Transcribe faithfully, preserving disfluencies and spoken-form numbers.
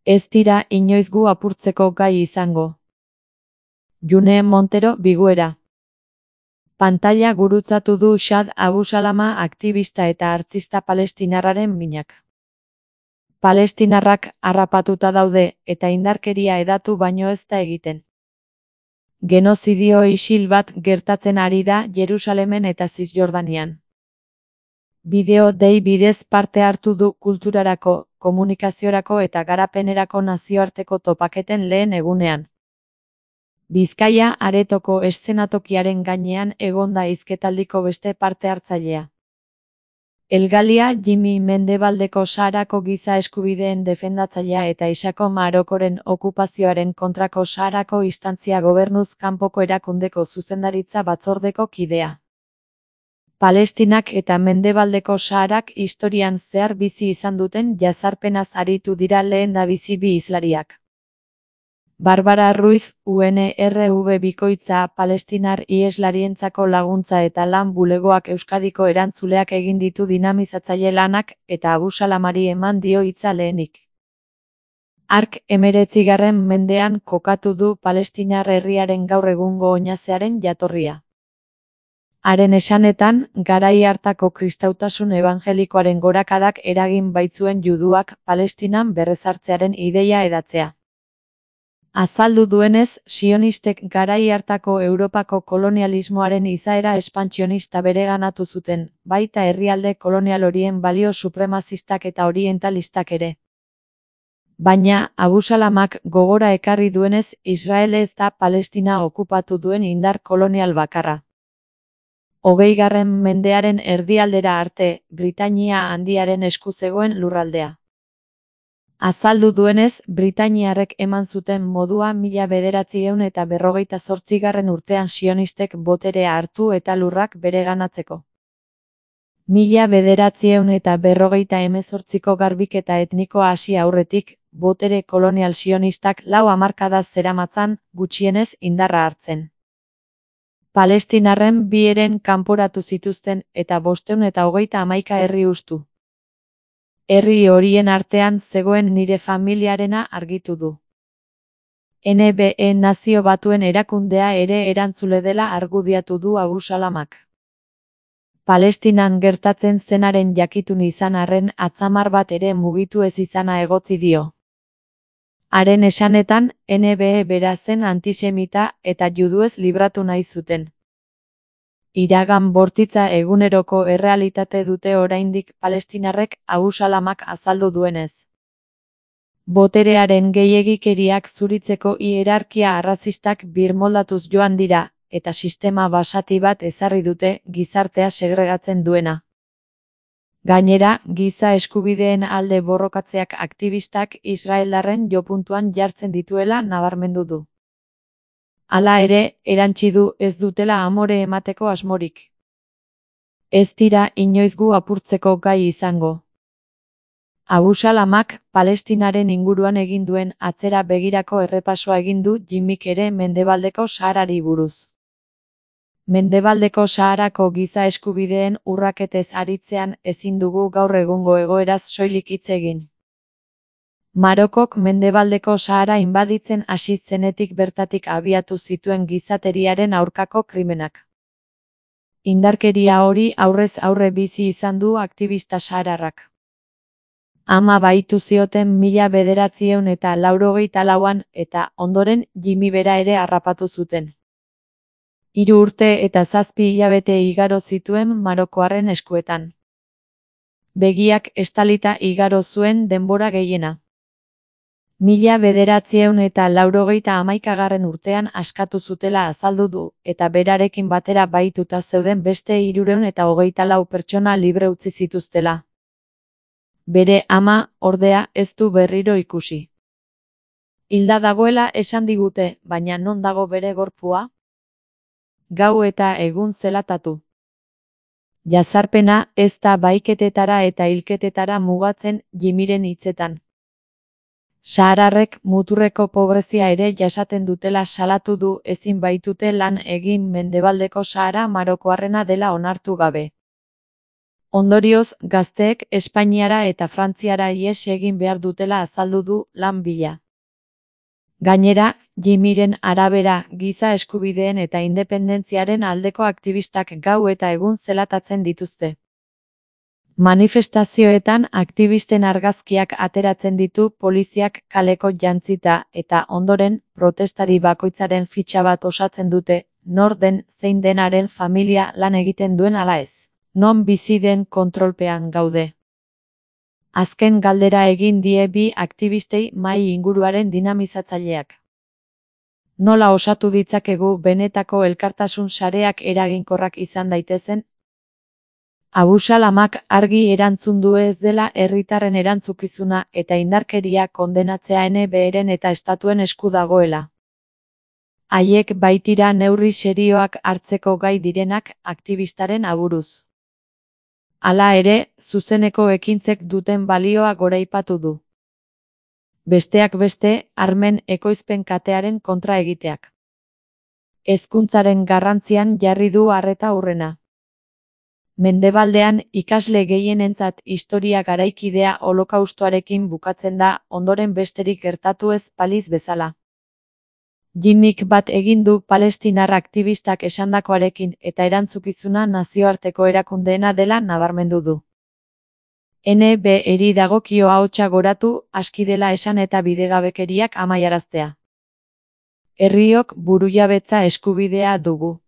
Ez dira inoiz gu apurtzeko gai izango. June Montero Biguera. Pantalla gurutzatu du Shad Abu Salama aktivista eta artista palestinarraren minak. Palestinarrak harrapatuta daude eta indarkeria hedatu baino ez da egiten. Genozidio isil bat gertatzen ari da Jerusalemen eta Zisjordanian. Bideo dei bidez parte hartu du kulturarako, komunikaziorako eta garapenerako nazioarteko topaketen lehen egunean. Bizkaia aretoko eszenatokiaren gainean egonda hizketaldiko beste parte hartzailea. Elgalia Jimmy Mendebaldeko Saharako giza eskubideen defendatzailea eta Isako Marokoren okupazioaren kontrako Saharako instantzia gobernuz kanpoko erakundeko zuzendaritza batzordeko kidea. Palestinak eta Mendebaldeko Saharak historian zehar bizi izan duten jazarpenaz aritu dira lehendabizi bi hizlariak. Barbara Ruiz, U N R V bikoitza palestinar iheslarientzako laguntza eta lan bulegoak Euskadiko erantzuleak egin ditu dinamizatzaile lanak eta Abu Salamari eman dio hitza lehenik. Hark hemeretzigarren mendean kokatu du palestinar herriaren gaur egungo oinazearen jatorria. Haren esanetan, garai hartako kristautasun ebangelikoaren gorakadak eragin baitzuen juduak Palestinan berrezartzearen ideia hedatzea. Azaldu duenez, sionistek garai hartako Europako kolonialismoaren izaera espantsionista bereganatu zuten, baita herrialde kolonial horien balio supremazistak eta orientalistak ere. Baina, Abu Salamak gogora ekarri duenez, Israel ez da Palestina okupatu duen indar kolonial bakarra. Hogeigarren mendearen erdialdera arte, Britainia Handiaren esku zegoen lurraldea. Azaldu duenez, britainiarrek eman zuten modua mila bederatziehun eta berrogeita zortzigarren urtean sionistek boterea hartu eta lurrak bereganatzeko. Mila bederatziehun eta berrogeita hemezortziko garbiketa etnikoa hasi aurretik, botere kolonial sionistak lau hamarkada zeramatzan, gutxienez indarra hartzen. Palestinarren bi heren kanporatu zituzten eta bostehun eta hogeita hamaika herri hustu. Herri horien artean zegoen nire familiarena argitu du. N B E Nazio Batuen erakundea ere erantzule dela argudiatu du Abu Salamak. Palestinan gertatzen zenaren jakitun izan arren atzamar bat ere mugitu ez izana egotzi dio. Haren esanetan, N B E bera zen antisemita eta juduez libratu nahi zuten. Iragan bortitza eguneroko errealitate dute oraindik palestinarrek, Abu Salamak azaldu duenez. Boterearen gehiegikeriak zuritzeko hierarkia arrazistak birmoldatuz joan dira, eta sistema basati bat ezarri dute gizartea segregatzen duena. Gainera, giza eskubideen alde borrokatzeak aktivistak israeldarren jopuntuan jartzen dituela nabarmendu du. Hala ere, erantsi du ez dutela amore emateko asmorik. Ez dira inoiz gu apurtzeko gai izango. Abu Salamak, Palestinaren inguruan egin duen atzera begirako errepasoa egin du Jimmyk ere Mendebaldeko Saharari buruz. Mendebaldeko Saharako giza eskubideen urraketez aritzean ezin dugu gaur egungo egoeraz soilik hitz egin. Marokok Mendebaldeko Sahara inbaditzen hasi zenetik bertatik abiatu zituen gizateriaren aurkako krimenak. Indarkeria hori aurrez aurre bizi izan du aktivista sahararrak. Ama baitu zioten mila bederatziehun eta laurogeita lauan eta ondoren Jimmy bera ere harrapatu zuten. Hiru urte eta zazpi hilabete igaro zituen marokoarren eskuetan. Begiak estalita igaro zuen denbora gehiena. Mila bederatziehun eta laurogeita hamaikagarren urtean askatu zutela azaldu du, eta berarekin batera bahituta zeuden beste hirurehun eta hogeita lau pertsona libre utzi zituztela. Bere ama, ordea, ez du berriro ikusi. Hilda dagoela esan digute, baina non dago bere gorpua? Gau eta egun zelatatu. Jazarpena ez da baiketetara eta hilketetara mugatzen Jimmyren hitzetan. Sahararrek muturreko pobrezia ere jasaten dutela salatu du ezin baitute lan egin Mendebaldeko Sahara marokoarrena dela onartu gabe. Ondorioz, gazteek Espainiara eta Frantziara ihes egin behar dutela azaldu du lan bila. Gainera, Jimmyren arabera, giza eskubideen eta independentziaren aldeko aktivistak gau eta egun zelatatzen dituzte. Manifestazioetan aktivisten argazkiak ateratzen ditu poliziak kaleko jantzita eta ondoren protestari bakoitzaren fitxa bat osatzen dute, nor den zein denaren familia lan egiten duen ala ez, non bizi den kontrolpean gaude. Azken galdera egin die bi aktivistei mahai inguruaren dinamizatzaileak. Nola osatu ditzakegu benetako elkartasun sareak eraginkorrak izan daitezen? Abusalamak argi erantzun du ez dela herritarren erantzukizuna eta indarkeria kondenatzea N B Eren eta estatuen esku dagoela. Haiek baitira neurri serioak hartzeko gai direnak aktivistaren aburuz. Hala ere, zuzeneko ekintzek duten balioa goraipatu du. Besteak beste, armen ekoizpen katearen kontra egiteak. Hezkuntzaren garrantzian jarri du arreta hurrena. Mendebaldean ikasle gehienentzat historia garaikidea holokaustoarekin bukatzen da, ondoren besterik gertatu ez baliz bezala. Jimmyk bat egin du palestinar aktivistak esandakoarekin eta erantzukizuna nazioarteko erakundeena dela nabarmendu du. N B Eri dagokio ahotsa goratu, aski dela esan eta bidegabekeriak amaiaraztea. Herriok burujabetza eskubidea dugu.